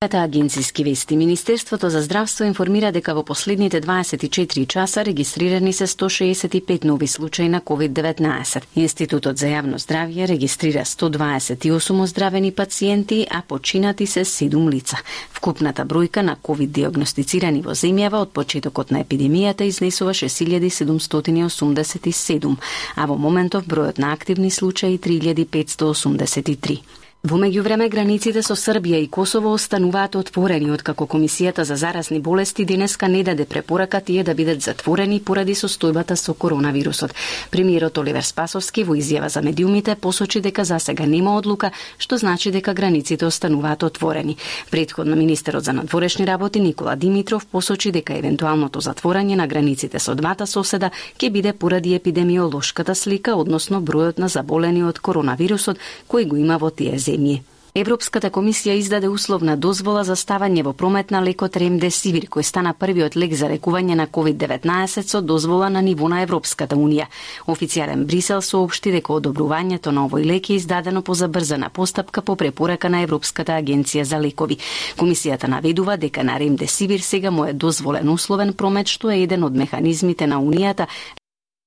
Агенцијски вести. Министерството за здравство информира дека во последните 24 часа регистрирани се 165 нови случаи на COVID-19. Институтот за јавно здравје регистрира 128 оздравени пациенти, а починати се 7 лица. Вкупната бројка на COVID диагностицирани во земјава од почетокот на епидемијата изнесува 6787, а во моментов бројот на активни случаи 3583. Во меѓувреме, границите со Србија и Косово остануваат отворени, откако Комисијата за заразни болести денеска не даде препорака тие да бидат затворени поради состојбата со коронавирусот. Премиерот Оливер Спасовски во изјава за медиумите посочи дека засега нема одлука, што значи дека границите остануваат отворени. Претходно министерот за надворешни работи Никола Димитров посочи дека евентуалното затворање на границите со двата соседа ќе биде поради епидемиолошката слика, односно бројот на заболени од коронавирусот кој го има во тие земји. Европската комисија издаде условна дозвола за ставање во промет на лекот Ремдесивир, кој стана првиот лек за лекување на COVID-19 со дозвола на ниво на Европската унија. Официјален Брисел соопшти дека одобрувањето на овој лек е издадено по забрзана постапка по препорака на Европската агенција за лекови. Комисијата наведува дека на Ремдесивир сега му е дозволен условен промет, што е еден од механизмите на Унијата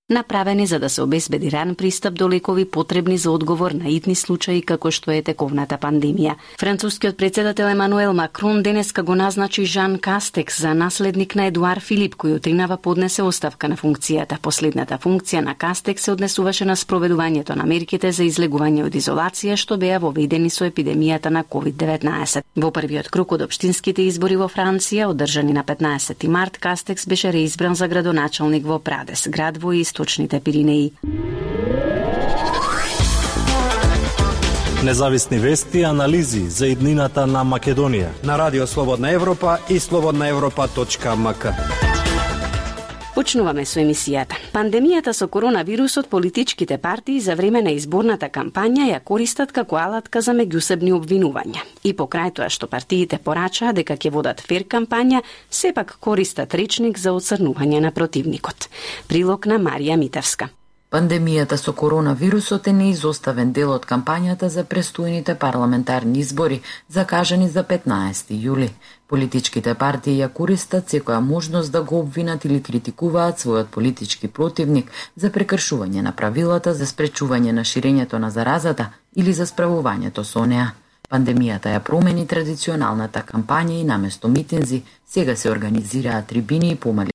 направени за да се обезбеди ран пристап до лекови потребни за одговор на итни случаи како што е тековната пандемија. Францускиот председател Емануел Макрон денеска го назначи Жан Кастекс за наследник на Едуар Филип, кој утринава поднесе оставка на функцијата. Последната функција на Кастекс се однесуваше на спроведувањето на мерките за излегување од изолација што беа воведени со епидемијата на COVID-19. Во првиот круг од општинските избори во Франција, одржани на 15 март, Кастекс беше реизбран за градоначалник во Прадес, град во Источните Пиринеи. Независни вести и анализи за иднината на Македонија на Радио Слободна Европа и slobodnaevropa.mk. Почнуваме со емисијата. Пандемијата со коронавирусот политичките партии за време на изборната кампања ја користат како алатка за меѓусебни обвинувања. И покрај тоа што партиите порачаа дека ќе водат фер кампања, сепак користат речник за оцрнување на противникот. Прилог на Марија Митевска. Пандемијата со коронавирусот е неизоставен дел од кампањата за престојните парламентарни избори, закажани за 15 јули. Политичките партии ја користат секоја можност да го обвинат или критикуваат својот политички противник за прекршување на правилата за спречување на ширењето на заразата или за справувањето со неа. Пандемијата ја промени традиционалната кампања и наместо митинзи, сега се организираат трибини и помали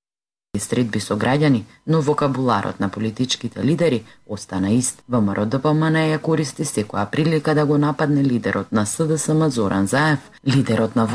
средби со граѓани, но вокабуларот на политичките лидери остана ист. ВМРО-ДПМН ја користи секоја прилика да го нападне лидерот на СДСМ Зоран Заев, лидерот на